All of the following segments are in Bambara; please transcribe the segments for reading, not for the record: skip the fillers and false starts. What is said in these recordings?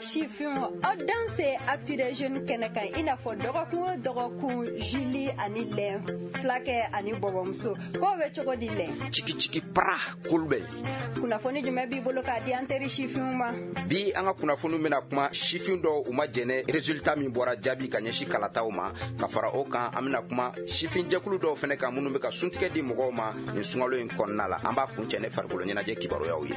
Sifinw, aw danse Actu des Jeunes kɛnɛ kan, i n'a fɔ dɔgɔkun o dɔgɔkun, Julie ani Lɛn, fulakɛ ani bɔbɔmuso, k'o bɛ cogo di, Lɛn? Ciki ciki para Kulubali. Kunnafoni jumɛn b'i bolo k'a di an teri sifinw ma? Bi, an ka kunnafoni bɛna kuma sifin dɔw u ma jɛnɛ résultat min bɔra, jaabi ka ɲɛsin kalataw ma. Ka fara o kan, an bɛna kuma sifin jɛkulu dɔw fɛnɛ kan minnu bɛ ka suntigɛ di mɔgɔw ma nin sunkalo in kɔnɔna la. An b'a kuncɛ ne farikolo ɲɛnajɛ kibaruyaw ye.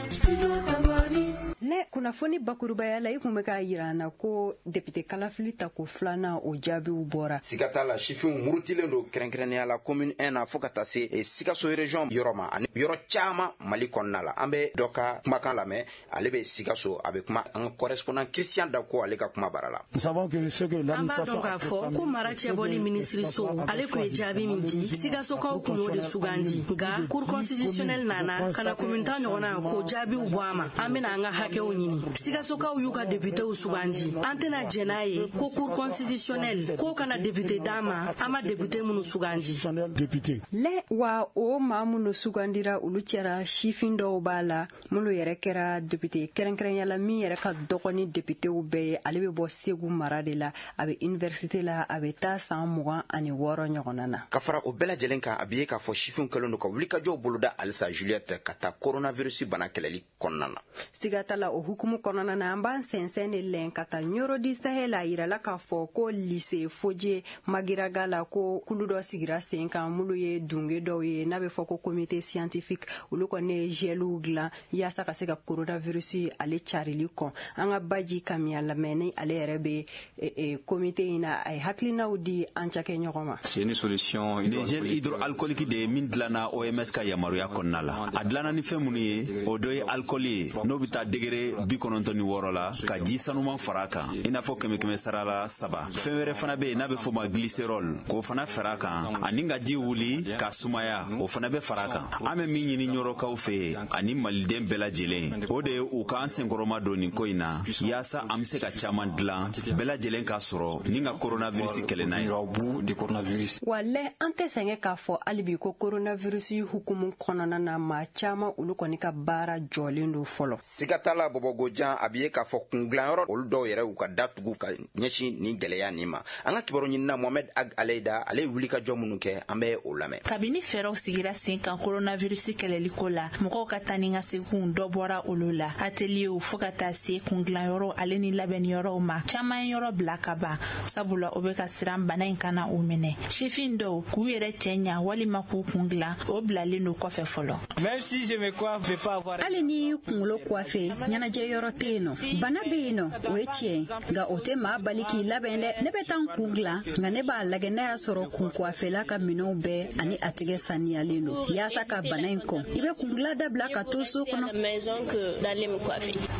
Lɛ, kunnafoni bakurubaya la, i kun bɛ k'a yira an na ko député kalafili tako filanan, o jaabiw bɔra. Siga t'a la, sifinw murutilen don, kɛrɛnkɛrɛnnenya la commune 1 na, fɔɔ ka taa se Sikaso région yɔrɔ ma ani yɔrɔ caaman Mali kɔnɔna la. An bɛ dɔ ka kumakan lamɛn, ale bɛ Sikaso, a bɛ kuma an ka correspondant Christian Dako, ale ka kuma bara la. An b'a dɔn k'a fɔ ko mara cɛbɔli minisiriso, ale kun ye jaabi min di, Sikasokaw kun y'o de sugandi. Nka Cour constitutionnelle nana ka na commune 10 ɲɔgɔnna k'o jaabiw bɔ a ma. An bena an ka hakɛw ɲini. Sikasokaw y'u ka députéw sugandi. An tɛna jɛn n'a ye ko Cour constitutionnelle k'o kana député d'an ma, an ma député minnu sugandi. Lɛ, wa o maa minnu sugandira, olu cɛra sifin dɔw b'a la minnu yɛrɛ kɛra député, kɛrɛnkɛrɛnya la min yɛrɛ ka dɔgɔ ni députéw bɛɛ ye. Ale bɛ bɔ Segu mara de la, a bɛ université la, a bɛ taa san 26 ɲɔgɔnna na. Ka fara o bɛɛ lajɛlen kan, a bɛ ye k'a fɔ sifinw kɛlen don ka wulikajɔw boloda halisa, Juliette, ka taa coronavirus bana kɛlɛli kɔnɔna na. Siga t'a la, o hukumu kɔnɔna na, an b'an sɛnsɛn de lɛn ka taa Ɲɔrɔ du Sahel. A yirala k'a fɔ ko lycée Fodje Magiraga la, ko kulu dɔ sigira sen kan minnu ye dunge dɔw ye n'a bɛ fɔ ko comité scientifique. Olu kɔni ye geliw dilan yaasa ka se ka coronavirus ale carili kɔn. An ka Baji Kamiya lamɛn, ni ale yɛrɛ bɛ comité in na, a ye hakilinaw di an cakɛ ɲɔgɔn ma. C'est une solution. Ni gel hydroalcoolique de ye min dilanna OMS ka yamaruya kɔnɔna la. A dilanna ni fɛn minnu ye, o dɔ ye alcool ye, n'o bɛ taa degré 96 la, ka ji sanuman fara a kan, i n'a fɔ kɛmɛ kɛmɛ sara la 3. Fɛn wɛrɛ fana bɛ yen n'a bɛ fɔ o ma glycérol, k'o fana fara a kan, ani ka ji wuli ka sumaya, o fana bɛ fara a kan. An bɛ min ɲini Ɲɔrɔkaw fɛ yen ani Maliden bɛɛ lajɛlen, o de ye u k'an senkɔrɔma don nin ko in na, yaasa an bɛ se ka caman dilan, bɛɛ lajɛlen k'a sɔrɔ ni ka coronavirus kɛlɛ n'a ye. Wa lɛ, an tɛ sɛgɛn k'a fɔ hali bi ko coronavirus hukumu kɔnɔna na, maa caman olu kɔni ka baara jɔlen don fɔlɔ. Siga t'a la, Bɔbɔgojan, a bɛ ye k'a fɔ kungilanyɔrɔ olu dɔw yɛrɛ y'u ka datugu ka ɲɛsin nin gɛlɛya nin ma. An ka kibaru ɲinina Mohamɛd Ag Aleyida, ale ye wulikajɔ minnu kɛ, an bɛ o lamɛn. Kabini fɛɛrɛw sigira sen kan coronavirus kɛlɛli ko la, mɔgɔw ka taa ni ka seginw, dɔ bɔra olu la. Atelierw fo ka taa se kungilanyɔrɔw ale ni labɛnniyɔrɔw ma, caman ye yɔrɔ bila ka ban, sabula o bɛ ka siran bana in kana u minɛ. Sifin dɔw k'u yɛrɛ cɛ ɲa walima k'u kun dilan, o bilalen don kɔfɛ fɔlɔ. Hali ni kunkolo coiffe, ɲɛnajɛ yɔrɔ tɛ yen nɔ. Bana bɛ yen nɔ, o ye tiɲɛ ye, nka o tɛ maa bali k'i labɛn dɛ. Ne bɛ taa n kun dilan, nka ne b'a lajɛ n'a y'a sɔrɔ kun coiffela ka minɛnw bɛɛ ani a tigɛ saniyalen don. Yaasa ka bana in kɔn, i bɛ kun dilan dabila ka to so kɔnɔ.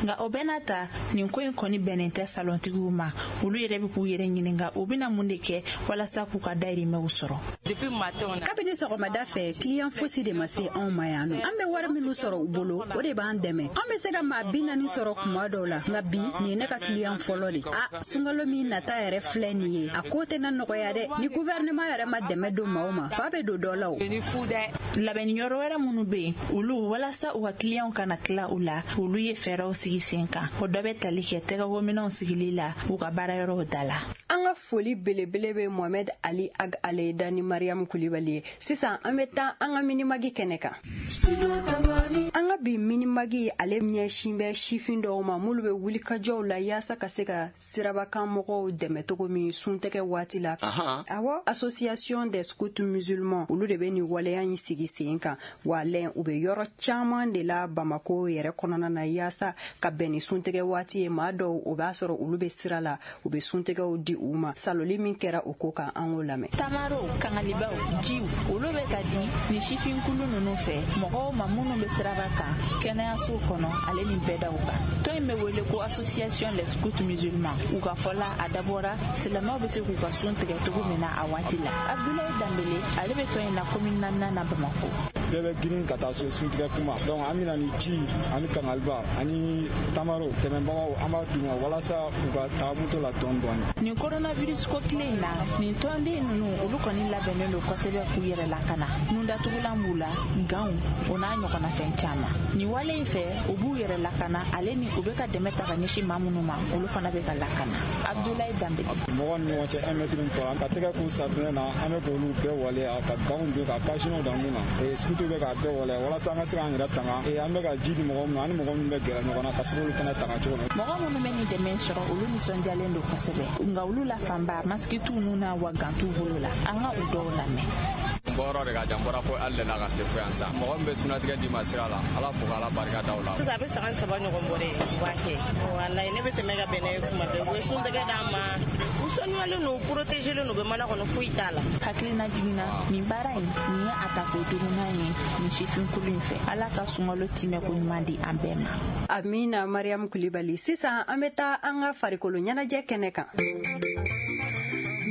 Nka o bɛɛ n'a ta, nin ko in kɔni bɛnnen tɛ salontigiw ma. Olu yɛrɛ bɛ k'u yɛrɛ ɲininka u bɛna mun de kɛ walasa k'u ka dayirimɛw sɔrɔ. Kabini sɔgɔmada fɛ, client fosi de ma se anw ma yan nɔ. An bɛ wari minnu sɔrɔ u bolo, o de b'an dɛmɛ. An bɛ se ka maa 40 sɔrɔ kuma dɔw la, nka bi nin ye ne ka client fɔlɔ de. A sunkalo min nata yɛrɛ filɛ nin ye, a ko tɛna nɔgɔya dɛ. Ni gouvernement yɛrɛ ma dɛmɛ don maaw ma, fa bɛ don dɔ la o. Labɛnniyɔrɔ wɛrɛ minnu bɛ yen, olu walasa u ka kiliyanw kana tila u la, olu ye fɛɛrɛw sigi sen kan. O dɔ bɛ tali kɛ tɛgɛkominɛnw sigili la u ka baarayɔrɔw da la. An ka foli belebele bɛ Mohamed Ali Ag Aleyida ni Mariam Kulibali ye. Sisan an bɛ taa an ka Minimag kɛnɛ kan. An ka bi Minimag, ale ɲɛsin bɛ sifin dɔw ma minnu bɛ wulikajɔw la yaasa ka se ka sirabakan mɔgɔw dɛmɛ cogo min suntɛgɛ waati la. Awɔ, Association des scouts musulmans, olu de bɛ nin waleya in sigi sen kan. Wa lɛn, u bɛ yɔrɔ caman de la Bamako yɛrɛ kɔnɔna na yaasa ka bɛn ni suntɛgɛ waati ye. Maa dɔw, o b'a sɔrɔ olu bɛ sira la, u bɛ suntɛgɛw di u ma. Saloli min kɛra o ko kan, an k'o lamɛn. Tamaro, kangalibaw, jiw, olu bɛ ka di ni sifinkulu ninnu fɛ mɔgɔw ma minnu bɛ siraba kan, kɛnɛyasow kɔnɔ ale ni bɛɛdaw kan. Tɔn in bɛ wele ko Association les scouts musulmans. U ka fɔ la, a dabɔra silamɛw bɛ se k'u ka sun tigɛ cogo min na a waati la. Abdulayi Danbele, ale bɛ tɔn in na commune naaninan na Bamako. Bɛɛ bɛ girin ka taa so suntigɛ kuma. Donc an bɛna ni ji ani kangaliba ani tamaro tɛmɛbagaw, an b'a d'u ma walasa u ka taa moto la dɔɔni dɔɔni. Nin coronavirus ko tile in na, nin tɔnden ninnu, olu kɔni labɛnnen don kosɛbɛ k'u yɛrɛ lakana. Nundatugulan b'u la, ganw, o n'a ɲɔgɔnna fɛn caman. Nin wale in fɛ, u b'u yɛrɛ lakana, ale ni u bɛ ka dɛmɛ ta ka ɲɛsin maa minnu ma, olu fana bɛ ka lakana. Abdoulaye Danbele. Mɔgɔ ni ɲɔgɔn cɛ 1 mètre min fɔra, ka tɛgɛ ko safinɛ na, an bɛ k'olu bɛɛ waleya, ka ganw don, ka cache-nez don mun na, sikutu bɛ k'a bɛɛ waleya walasa an ka se k'an yɛrɛ tanga. An bɛ ka ji di mɔgɔ minnu, ani mɔgɔ minnu bɛ gɛrɛ ɲɔgɔn na, ka se k'olu fana tanga cogo min. Mɔgɔ minnu bɛ nin dɛmɛ sɔrɔ, olu nisɔndiyalen don kosɛbɛ, nka olu la fanba, masiki t'u nun na, wa gants t'u bolo la. An ka u dɔw lamɛn. N bɔyɔrɔ de ka jan, n bɔra fo hali na ka se fo yan sa. Mɔgɔ min bɛ sunatigɛ d'i ma sira la, Ala fo k'Ala barika da o la. Sisan a bɛ san 3 ɲɔgɔn bɔ dɛ, u b'a kɛ. Walayi, ne bɛ tɛmɛ ka bɛn n'a ye kuma bɛɛ. U bɛ suntigɛ d'an ma, u sanuyalen don, u protégelen don, u bɛ mana kɔnɔ, foyi t'a la. Hakilina jiginna, nin baara in, nin ye a tako duurunan ye nin sifinkulu in fɛ. Ala ka sunkalo timɛ ko ɲuman di an bɛɛ ma. Amina, Mariam Kulibali. Sisan an bɛ taa an ka farikolo ɲɛnajɛ kɛnɛ kan.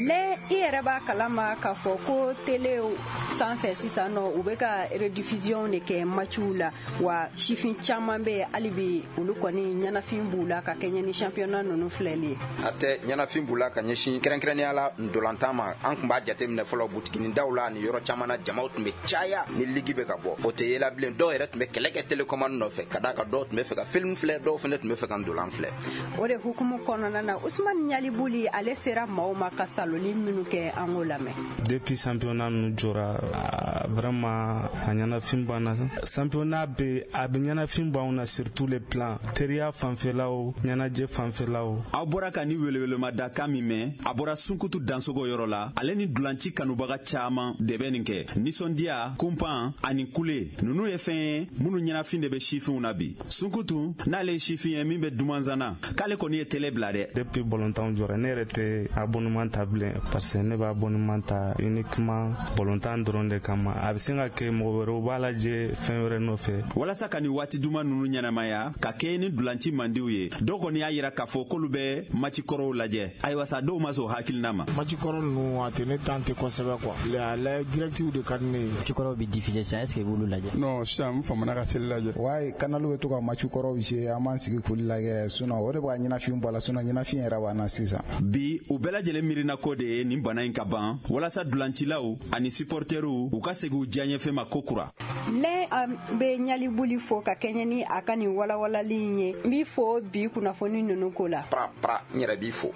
Ne i yɛrɛ b'a kalama k'a fɔ ko telew sanfɛ sisan nɔ, u bɛ ka rediffusion de kɛ matchw la. Wa sifin caman bɛ yen hali bi, olu kɔni ɲɛnafin b'u la ka kɛɲɛ ni championnat ninnu filɛli ye. A tɛ ɲɛnafin b'u la ka ɲɛsin kɛrɛnkɛrɛnnenya la ndolantan ma. An tun b'a jateminɛ fɔlɔ, butiginin daw la ni yɔrɔ caman na, jamaw tun bɛ caya ni ligue bɛ ka bɔ. O tɛ yela bilen. Dɔw yɛrɛ tun bɛ kɛlɛ kɛ télécommande nɔfɛ, ka d'a kan dɔw tun bɛ fɛ ka film filɛ, dɔw fana tun bɛ fɛ ka ndolan filɛ. O de hukumu kɔnɔna na, Usumani Ɲalibuli, ale sera maaw ma ka saloli minnu kɛ, an k'o lamɛn. Depuis championnat ninnu jɔra, vraiment a ɲɛnafin banna. Championnat bɛ, a bɛ ɲɛnafin b'anw na sur tous les plans, teriya fanfɛlaw, ɲɛnajɛ fanfɛlaw. Aw bɔra ka ni welewelema kan min mɛn, a bɔra Sunkutu Dansogo yɔrɔ la. Ale ni dulanci kanubaga caman de bɛ nin kɛ. Nisɔndiya, kunpan ani kule ninnu ye fɛn ye minnu ɲɛnafin de bɛ sifinw na bi. Sunkutu n'ale ye sifin ye min bɛ dumanzana, k'ale kɔni ye télé bila dɛ. Depuis bɔlɔntanw jɔra, ne yɛrɛ tɛ abonnement ta bilen, parce que ne b'a abonnement ta uniquement bɔlɔntan dɔrɔn de kama. A bɛ se ka kɛ mɔgɔ wɛrɛw b'a lajɛ fɛn wɛrɛ nɔfɛ. Walasa ka nin waati duman ninnu ɲɛnamaya ka kɛ ni dulanci mandiw ye, dɔw kɔni y'a yira k'a fɔ k'olu bɛ match kɔrɔw lajɛ. Ayiwa sa, dɔw ma sɔn hakilina ma. Match kɔrɔ ninnu, a tɛ ne tan tɛ kosɛbɛ quoi. A la directive de ka di ne ye. Match kɔrɔw bɛ diffuser sisan, est ce que i b'olu lajɛ? Non, sisan n famana ka télé lajɛ. Wayi, canal bɛ to ka match kɔrɔw jouer, an b'an sigi k'olu lajɛ. Sinon o de b'a ɲɛnafin bɔ a la, sinon ɲɛnafin yɛrɛ b'an na sisan. Bi, u bɛɛ lajɛlen miirina ko de ye nin bana in ka ban, walasa dulancilaw ani supporteriw u ka segin u diyaɲɛfɛn ma ko kura. Ne an bɛ Ɲalibuli fo ka kɛɲɛ ni a ka nin walawalali in ye. N b'i fo bi kunnafoni ninnu ko la. Pra pra, n yɛrɛ b'i fo.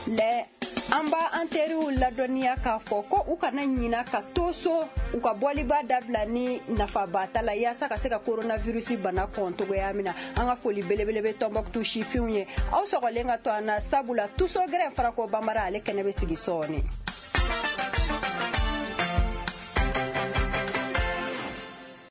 Lɛ, an b'a an teriw ladɔnniya k'a fɔ ko u kana ɲina ka to so, u ka bɔliba dabila ni nafaba ta la, yaasa ka se ka coronavirus bana kɔn togoya min na. An ka foli belebele bɛ Tɔnbɔkutu sifinw ye. Aw sɔgɔlen ka to an na, sabula tuso gɛrɛ farako banbara, ale kɛnɛ bɛ sigi sɔɔni.